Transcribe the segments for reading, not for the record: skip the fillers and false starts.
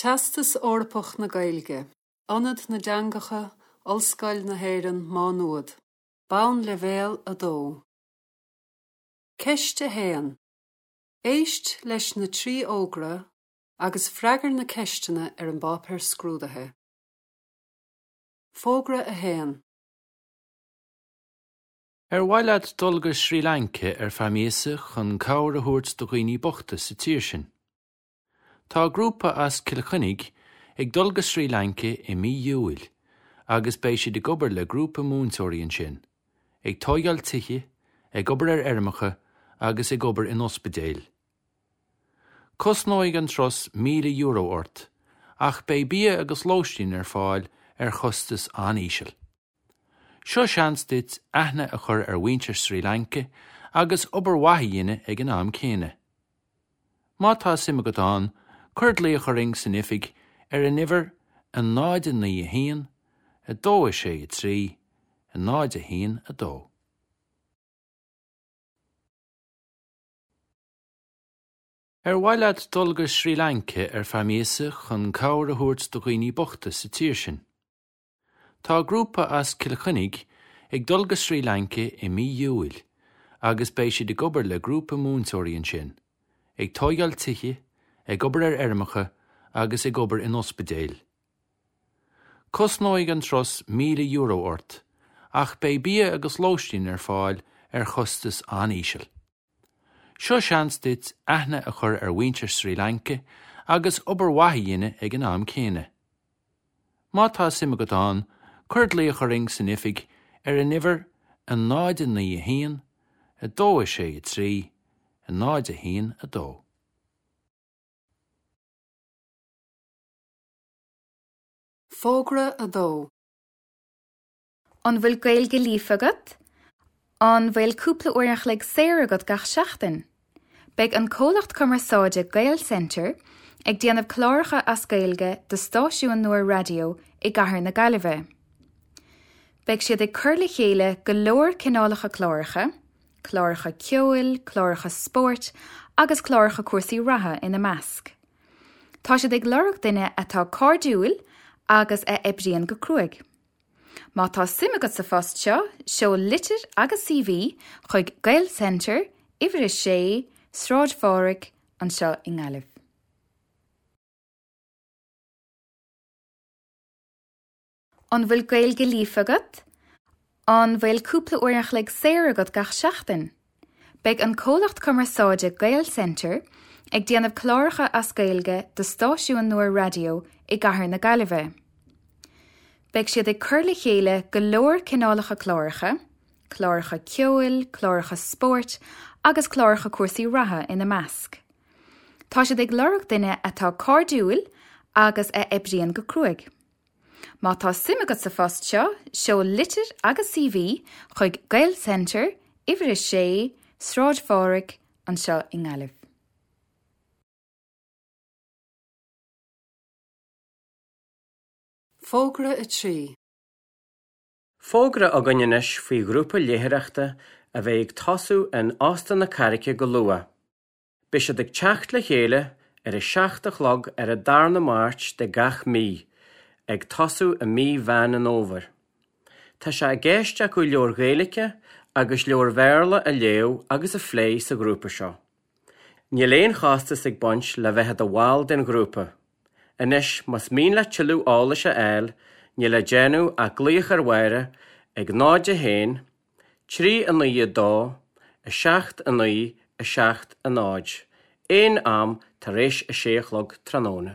Teastas Eorpach na Gaeilge, Ionad na dTeangacha, Ollscoil na hÉireann, Má Nuad. Bonnleibhéal 2. Ceist 1. Éist leis na 3 fhógra agus freagair na ceisteanna ar an bpáipéar scrúdaithe. Fógra 1. Ar mhaith leat dul go Srí Lanca ar feadh míosa chun cabhair a thabhairt do dhaoine bochta sa tír sin? Tá grúpa as Cill Chainnigh ag dul go Srí Lanca i mí Iúil agus beidh siad ag obair le grúpa múinteoirí ansin, ag tóigeáil tithe, ag obair ar fheirmeacha agus ag obair in ospidéil. Cosnóidh an turas €1,000 ort ach beidh bia agus lóistín ar fáil ar chostas an-íseal. Seo seans duit aithne a chur ar mhuintir Srí Lanca agus obair mhaith a dhéanamh ag an am céanna. Má tá suim agat ann, cuir glaoch orainn san oifig ar an uimhir 0 9 1 2 6 3 0 1 2. Ar mhaith leat dul go Srí Lanca ar feadh míosa chun cabhair a thabhairt do dhaoine bochta sa tír sin? Tá grúpa as Cill Chainnigh ag dul go Srí Lanca i mí Iúil agus beidh siad ag obair le grúpa múinteoirí ansin, ag tóigeáil tithe, ag obair ar fheirmeacha agus ag obair in ospidéil. Cosnóidh an turas €1,000 ort ach beidh bia agus lóistín ar fáil ar chostas an-íseal. Seo seans duit aithne a chur ar mhuintir Srí Lanca agus obair mhaith a dhéanamh ag an am céanna. Má tá suim agat ann, cuir glaoch orainn san oifig ar an uimhir 0 9 1 2 6 3 0 1 2. Fógra 2. An bhfuil Gaeilge líofa agat? An bhfuil cúpla uair an chloig saor agat gach seachtain? Beidh an comhlacht cumarsáide Gaelcentre ag déanamh cláracha as Gaeilge do stáisiún nua raidió i gcathair na Gaillimhe. Beidh siad ag cur le chéile go leor cineálacha cláracha, cláracha ceoil, cláracha spóirt agus cláracha cúrsaí reatha ina measc. Tá siad ag lorg duine atá cairdiúil agus a oibríonn go cruaidh. Má tá suim agat sa phost seo, seol litir agus CV chuig Gaelcentre, Uimhir 6, Sráid Phádraig, anseo i nGaillimh. An bhfuil Gaeilge líofa agat? An bhfuil cúpla uair an chloig saor agat gach seachtain? Beidh an comhlacht cumarsáide Gaelcentre ag déanamh cláracha as Gaeilge do stáisiún nua raidió i gcathair na Gaillimhe. Beidh siad ag cur le chéile go leor cineálacha cláracha, cláracha ceoil, cláracha spóirt agus cláracha cúrsaí reatha ina measc. Tá siad ag lorg duine atá cairdiúil agus a oibríonn go cruaidh. Má tá suim agat sa phost seo, seol litir agus CV chuig Gaelcentre, Uimhir 6, Sráid Phádraig, anseo i nGaillimh. Fógra 3. Fógra againn anois faoi ghrúpa léitheoireachta a bheidh ag tosú in Óstán na Carraice go luath. Beidh siad ag teacht le chéile ar a 7 a chlog ar an darna Máirt de gach mí, ag tosú i mí Mheán an Fhómhair. Tá sé i gceist acu leabhair Ghaeilge agus leabhair Bhéarla a léamh agus a phlé sa ghrúpa seo. Níl aon chostas ag baint le bheith i do bhall den ghrúpa. Anois, más mian leat tuilleadh eolais a fháil, níl le déanamh ach glaoch ar Mháire ag 0 1 3 9 2 7 9 7 0, aon am tar éis a sé a chlog tráthnóna.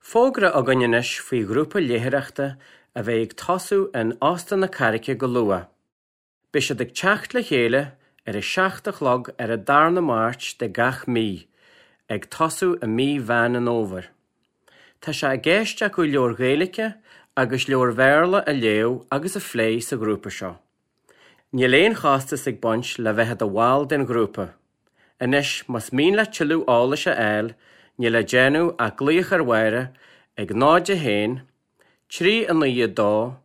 Fógra againn anois faoi ghrúpa léitheoireachta a bheidh ag tosú in Óstán na Carraice go luath. Beidh siad ag teacht le chéile ar a 7 a chlog ar an darna Máirt de gach mí, ag tosú i mí Mheán an Fhómhair. Tá sé i gceist acu leabhair Ghaeilge agus leabhair Bhéarla a léamh agus a phlé sa ghrúpa seo. Níl aon chostas ag baint le bheith i do bhall den ghrúpa. Anois, más mian leat tuilleadh eolais a fháil, níl le déanamh ach glaoch ar Mháire ag 0 1 3 9 2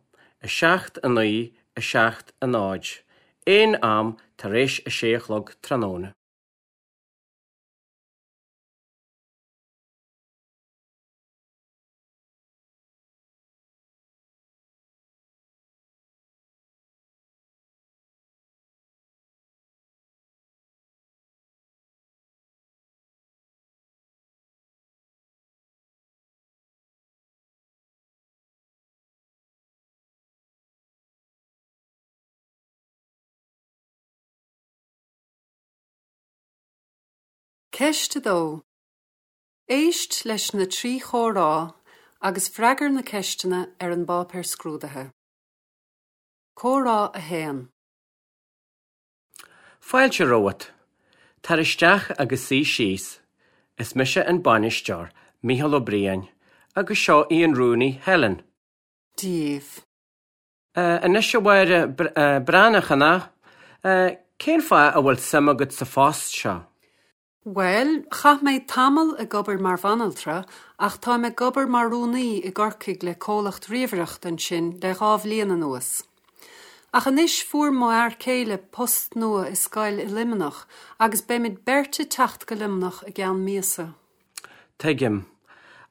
7 9 7 0, aon am tar éis a sé a chlog tráthnóna. Ceist 2. Éist leis na 3 chomhrá agus freagair na ceisteanna ar an bpáipéar scrúdaithe. Comhrá 1. Fáilte romhat. Tar isteach agus suigh síos. Is mise an bainisteoir, Mícheál Ó Briain, agus seo í an rúnaí, Helen. Díobh. Anois a Mháire Breathnach, an ea? Cén fáth a bhfuil suim agat sa phost seo? Bhuel, chaith mé tamall ag obair mar bhanaltra ach táim ag obair mar rúnaí i gCorcaigh le comhlacht ríomhaireachta ansin le 2 bhliain anuas. Ach anois fuair mo fhear céile post nua i scoil i Luimneach agus beimid beirt ag teacht go Luimneach i gceann míosa. Tuigim.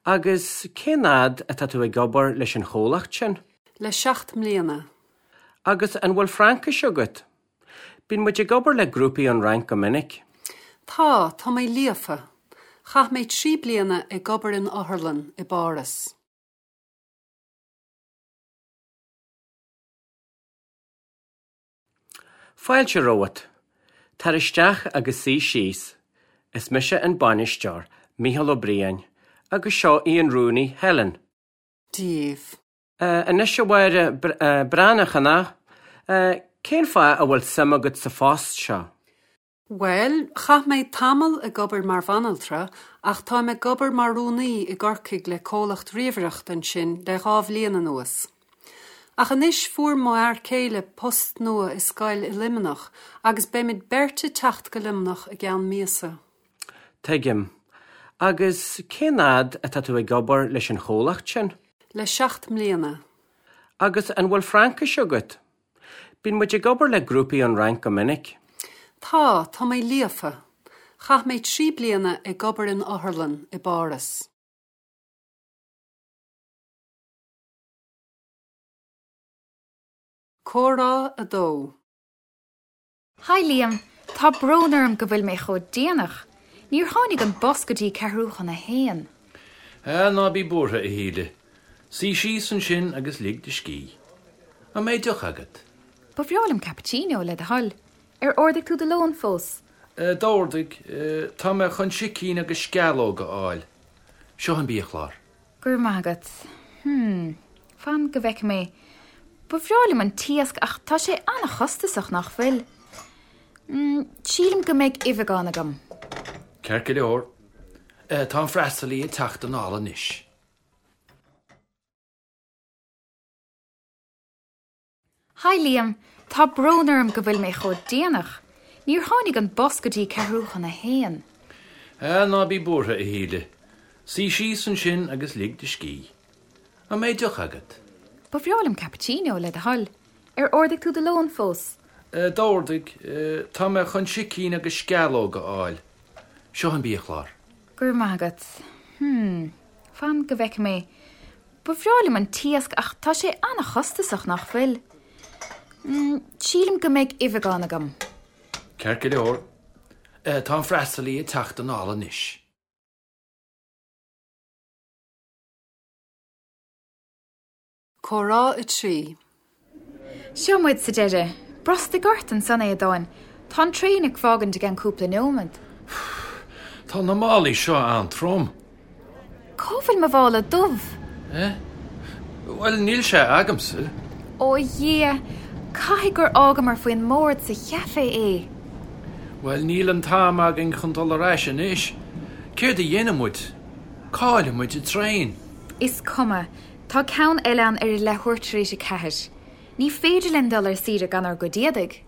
Agus cén fhad atá tú ag obair leis an chomhlacht sin? Le 7 mbliana. Agus an bhfuil Fraincis agat? Bíonn muid ag obair le grúpaí ón Fhrainc go minic. Tá, tá mé líofa. Chaith mé 3 bliana ag obair in otharlann i bPáras. Fáilte romhat. Tar isteach agus suigh síos. Is mise an bainisteoir, Mícheál Ó Briain, agus seo í an rúnaí, Helen. Díobh. Anois a Mháire Breathnach, an ea? Cén fáth a bhfuil suim agat sa phost seo? Bhuel, chaith mé tamall ag obair mar bhanaltra ach táim ag obair mar rúnaí i gCorcaigh le comhlacht ríomhaireachta ansin le 2 bhliain anuas. Ach anois fuair mo fhear céile post nua i scoil i Luimneach agus beimid beirt ag teacht go Luimneach i gceann míosa. Tuigim. Agus cén fhad atá tú ag obair leis an chomhlacht sin? Le 7 mbliana. Agus an bhfuil Fraincis agat? Bíonn muid ag obair le grúpaí ón Fhrainc go minic. Tá, tá mé líofa. Chaith mé 3 bliana ag obair in otharlann i bPáras. Comhrá 2. Hi Liam, tá brón orm go bhfuil mé chomh déanach. Níor tháinig an bus go dtí ceathrú chun a haon. Ah, ná bí buartha, a Shíle. Suigh síos ansin agus lig do scíth. An mbeidh deoch agat? Ba bhreá liom cappuccino, le do thoil. Ar ordaigh tú do lón fós? D'ordaigh. Tá mé chun sicín agus sceallóg a fháil. Seo an biachlár. Go raibh maith agat. Hmm, fan go bhfeicfidh mé. Ba bhreá liom an t-iasc ach tá sé an-chostasach, nach bhfuil? Hmm, sílim go mbeidh uibheagán agam. Ceart go leor. Tá an freastalaí ag teacht anall anois. Hi Liam, tá brón orm go bhfuil mé chomh déanach. Níor tháinig an bus go dtí ceathrú chun a haon. Ah, ná bí buartha, a Shíle. Suigh síos ansin agus lig do scíth. An mbeidh deoch agat? Ba bhreá liom cappuccino, le do thoil. Ar ordaigh tú do lón fós? D'ordaigh. Tá mé chun sicín agus sceallóg a fháil. Seo an biachlár. Go raibh maith agat. Hmm, fan go bhfeicfidh mé. Ba bhreá liom an t-iasc ach tá sé an-chostasach, nach bhfuil? Hmm, sílim go mbeidh uibheagán agam. Ceart go leor. Tá an freastalaí ag teacht anall anois. Comhrá 3. Seo muid sa deireadh. Brostaigh ort ansan, a Aodáin. Tá an traein ag fágaint i gceann cúpla neomad. Tá na málaí seo an-trom. Cá bhfuil mo mhála dubh? Eh? Bhuel, níl sé agamsa. Ó a Dhia, caithfidh gur fhágamar faoin mbord sa chaifé é. Bhuel, níl an t-am againn chun dul ar ais anois. Céard a dhéanfaidh muid? Caillfidh muid an traein. Is cuma. Tá ceann eile ann ar a leathuair tar éis 4. Ní féidir linn dul ar saoire gan ár gcuid éadaigh.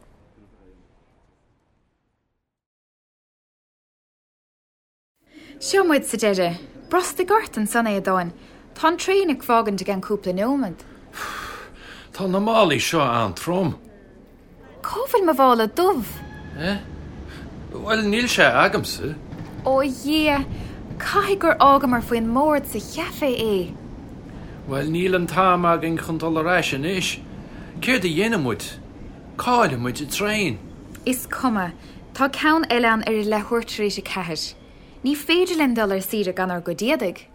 Seo muid sa deireadh. Brostaigh ort ansan, a Aodáin. Tá an traein ag fágaint i gceann cúpla neomad. Tá na málaí seo an-trom. Cá bhfuil mo mhála dubh? Eh? Bhuel, níl sé agamsa. Ó a Dhia, caithfidh gur fhágamar faoin mbord sa chaifé é. Bhuel, níl an t-am againn chun dul ar ais anois. Céard a dhéanfaidh muid? Caillfidh muid an traein. Is cuma. Tá ceann eile ann ar a leathuair tar éis 4. Ní féidir linn dul ar saoire gan ár gcuid éadaigh.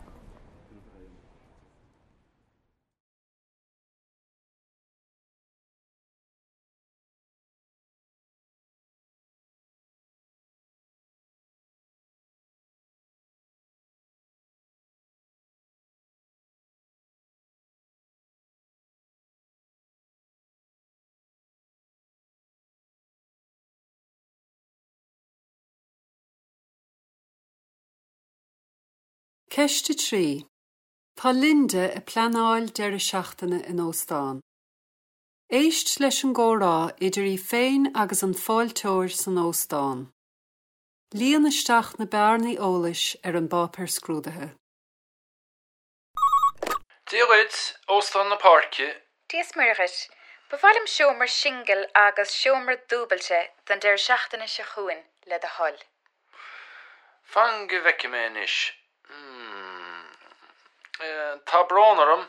Ceist 3. Tá Linda ag pleanáil deireadh seachtaine in óstán. Éist leis an gcomhrá idir í féin agus an fáilteoir san óstán. Líon isteach na bearnaí eolais ar an bpáipéar scrúdaithe. Dia dhuit, Óstán na Páirce. Dia is Muire dhuit. Ba mhaith liom seomra singil agus seomra dúbailte don deireadh seachtaine seo chugainn, le do thoil. Fan go bhfeice mé anois. Hmm. Tá brón orm,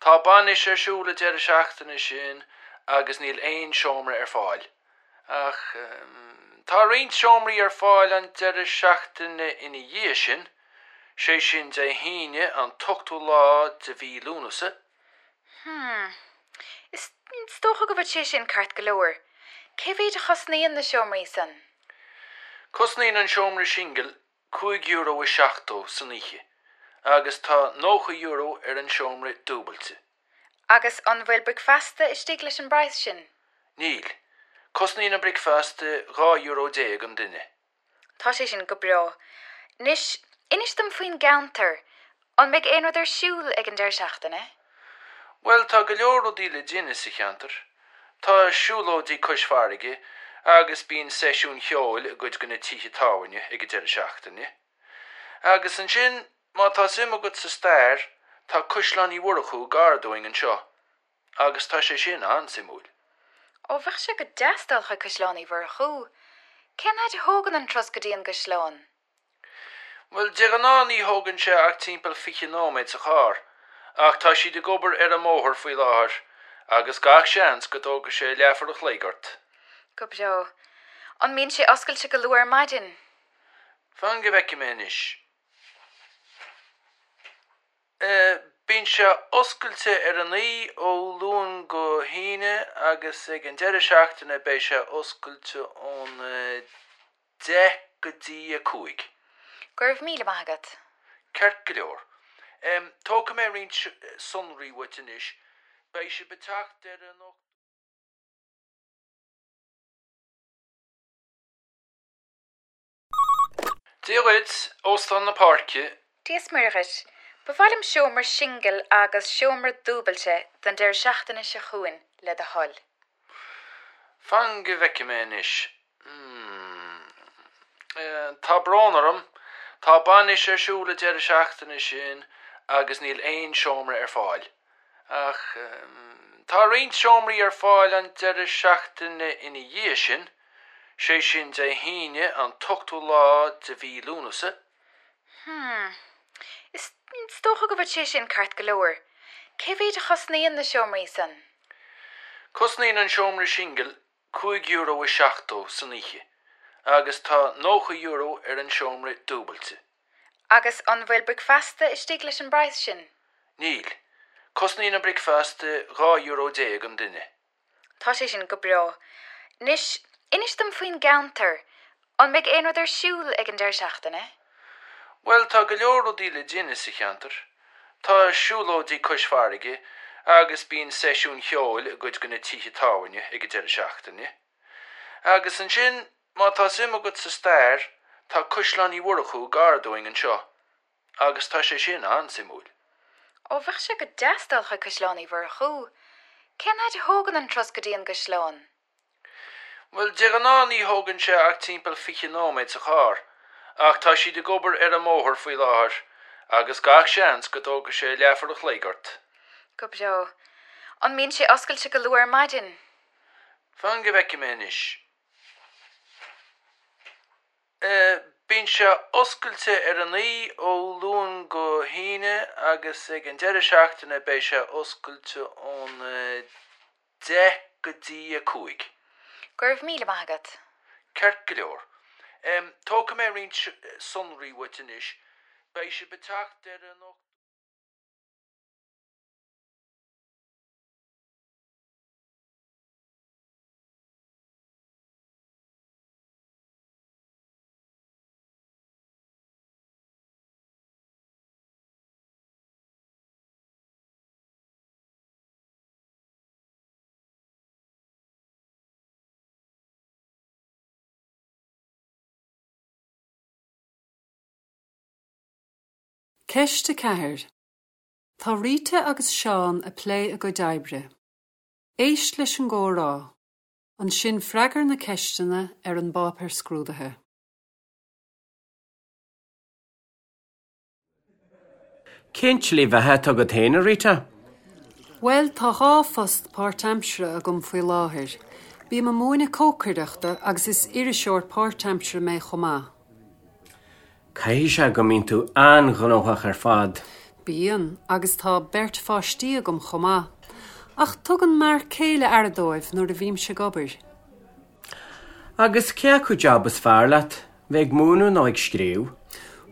tá bainis ar siúl an deireadh seachtaine sin agus níl aon seomra ar fáil. Ach tá roinnt seomraí ar fáil an deireadh seachtaine ina dhiaidh sin, sé sin Dé hAoine an t-ochtú lá de mhí Lúnasa. Hmm. Is dócha go bhfuil sé sin ceart go leor. Cé mhéid a chosnaíonn na seomraí san? Cosnaíonn an seomra singil €5.70 san oíche agus tá €90 ar an seomra dúbailte. Agus an bhfuil bricfeasta istigh leis an bpraghas sin? Níl. Cosnaíonn an bricfeasta €12 an duine. Tá sé sin go breá. Anois, inis dom faoin gceantar. An mbeidh aon rud ar siúl ag an deireadh seachtaine? Bhuel, tá go leor rudaí le déanamh sa cheantar. Tá siúlóidí cois farraige agus bíonn seisiúin cheoil i gcuid de na tithe tábhairne ag an deireadh seachtaine. Agus ansin, má tá suim agat sa stair, tá Caisleán Uí Mhurchú gar dúinn anseo. Agus tá sé sin an-suimiúil. Ó, bheadh sé go deas dul chuig Caisleán Uí Mhurchú. Cén fhaid a thógann an turas go dtí an gcaisleán? Bhuel, de ghnáth ní thógann sé ach timpeall 20 nóiméad sa charr, ach tá siad ag obair ar an mbóthar faoi láthair agus gach seans go dtógfaidh sé leathuair a chloig ort. Go breá. An mbíonn sé oscailte go luath ar maidin? Fan go bhfeice mé anois. Bíonn sé oscailte ar a 9 ó Luan go hAoine agus ag an deireadh seachtaine beidh sé oscailte ón 10 go dtí 5. Go raibh míle maith agat. Ceart go leor. Tógfaidh mé roinnt sonraí uait anois. Beidh sibh ag teacht ar an ochtú. Dia dhuit, Óstán na Páirce. Dia is Muire dhuit. Ba mhaith liom seomra singil agus seomra dúbailte don deireadh seachtaine seo chugainn, le do thoil. Fan go bhfeice mé anois. Hmm. Tá brón orm, tá bainis ar siúl an deireadh seachtaine sin agus níl aon seomra ar fáil. Ach tá roinnt seomraí ar fáil an deireadh seachtaine ina dhiaidh sin, sé sin Dé hAoine an t-ochtú lá de mhí Lúnasa. Hmm. Is dócha go bhfuil sé sin ceart go leor. Cé mhéid a chosnaíonn na seomraí san? Cosnaíonn an seomra singil €5.70 san oíche agus tá €90 ar an seomra dúbailte. Agus an bhfuil bricfeasta istigh leis an bpraghas sin? Níl. Cosnaíonn an bricfeasta €12 an duine. Tá sé sin go breá. Anois, inis dom faoin gceantar. An mbeidh aon rud ar siúl ag an deireadh seachtaine? Bhuel, tá go leor rudaí le déanamh sa cheantar. Tá siúlóidí cois farraige agus bíonn seisiúin cheoil i gcuid de na tithe tábhairne ag an deireadh seachtaine. Agus ansin, Má tá suim agat sa stair, tá Caisleán Uí Mhurchú gar dúinn anseo, agus tá sé sin an-suimiúil. Ó, bheadh sé go deas dul chuig Caisleán Uí Mhurchú. Cén fhaid a thógann an turas go dtí an gcaisleán? Bhuel, de ghnáth ní thógann sé ach timpeall 20 nóiméad sa charr, ach tá siad ag obair ar an mbóthar faoi láthair, agus gach seans go dtógfaidh sé leathuair a chloig ort. Go breá. An mbíonn sé oscailte go luath ar maidin? Fan go bhfeice mé anois. Bíonn sé oscailte ar a 9 ó Luan go hAoine agus ag an deireadh seachtaine beidh sé oscailte ón 10 go dtí 5. Go raibh míle maith agat. Ceart go leor. Tógfaidh mé roinnt sonraí uait anois. Beidh sibh ag teacht ar an ochtú. Ceist 4. Tá Rita agus Seán ag plé a gcuid oibre. Éist leis an gcomhrá. Ansin freagair na ceisteanna ar an bpáipéar scrúdaithe. Cén tslí bheatha atá agat féin, a Rita? Bhuel, tá dhá phost páirtaimseartha agam faoi láthair. Bím ag múineadh cócaireachta agus is iriseoir páirtaimseartha mé chomh maith. Caithfidh sé go mbíonn tú an-ghnóthach ar fad. Bíonn, agus tá beirt pháistí agam chomh maith. Ach tugann m'fhear céile aire dóibh nuair a bhímse ag obair. Agus cé acu jab is fearr leat, bheith ag múineadh nó ag scríobh?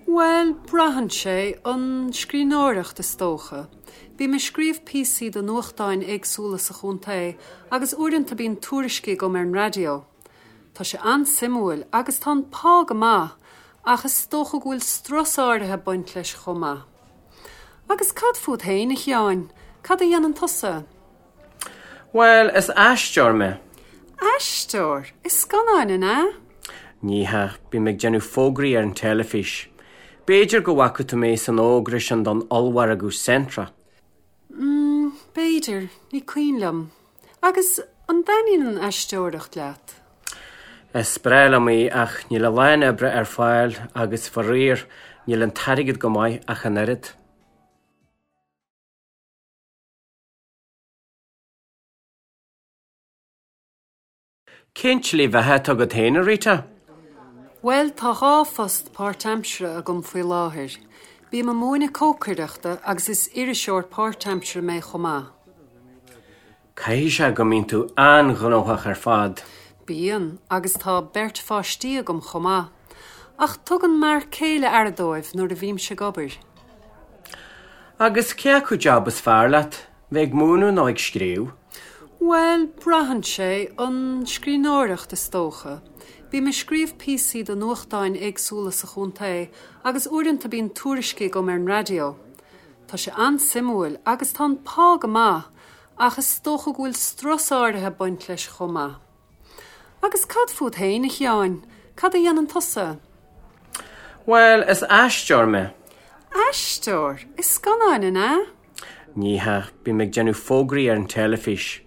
Bhuel, braitheann sé, an scríbhneoireacht is dócha. Bím ag scríobh píosaí do nuachtáin éagsúla sa chontae agus uaireanta bíonn tuairiscí agam ar an raidió. Tá sé an-suimiúil agus tá an pá go maith ach is dócha go bhfuil strus áirithe ag baint leis chomh maith. Agus cad fút féin, a Sheáin? Cad a dhéanann tusa? Bhuel, is aisteoir mé. Aisteoir? I scannáin, an ea? Ní hea, bím ag déanamh fógraí ar an teilifís. B'fhéidir go bhfaca tú mé san fhógra sin don ollmhargadh Centra. Mm, b'fhéidir, ní cuimhin liom. Agus an dtaitníonn an aisteoireacht leat? Is breá liom í ach níl a lán oibre ar fáil agus, faraor, níl an t-airgead go maith ach an oiread. Cén tslí bheatha atá agat féin, a Rita? Bhuel, tá dhá phost páirtaimseartha agam faoi láthair. Bím ag múineadh cócaireachta agus is iriseoir páirtaimseartha mé chomh maith. Caithfidh sé go mbíonn tú an-ghnóthach ar fad. Bíonn, agus tá beirt pháistí agam chomh maith. Ach tugann m'fhear céile aire dóibh nuair a bhímse ag obair. Agus cé acu jab is fearr leat, bheith ag múineadh nó ag scríobh? Bhuel, braitheann sé, an scríbhneoireacht is dócha. Bím ag scríobh píosaí do nuachtáin éagsúla sa chontae agus uaireanta bíonn tuairiscí agam ar an raidió. Tá sé an-suimiúil agus tá an pá go maith ach is dócha go bhfuil strus áirithe ag baint leis chomh maith. Agus cad fút féin, a Sheáin? Cad a dhéanann tusa? Bhuel, is aisteoir mé. Aisteoir? I scannáin, an ea? Ní hea, bím ag déanamh fógraí ar an teilifís.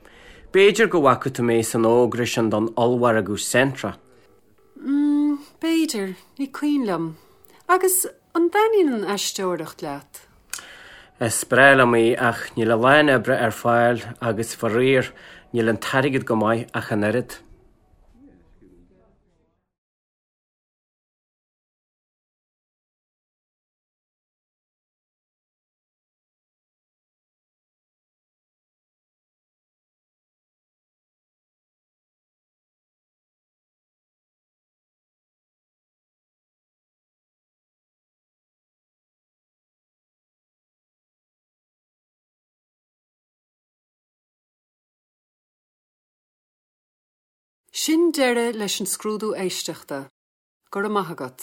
B'fhéidir go bhfaca tú mé san fhógra sin don ollmhargadh Centra. Mm, b'fhéidir, ní cuimhin liom. Agus an dtaitníonn an aisteoireacht leat? Is breá liom í ach níl a lán oibre ar fáil agus, faraor, níl an t-airgead go maith ach an oiread. Sin deireadh leis an scrúdú éisteachta. Go raibh maith agat.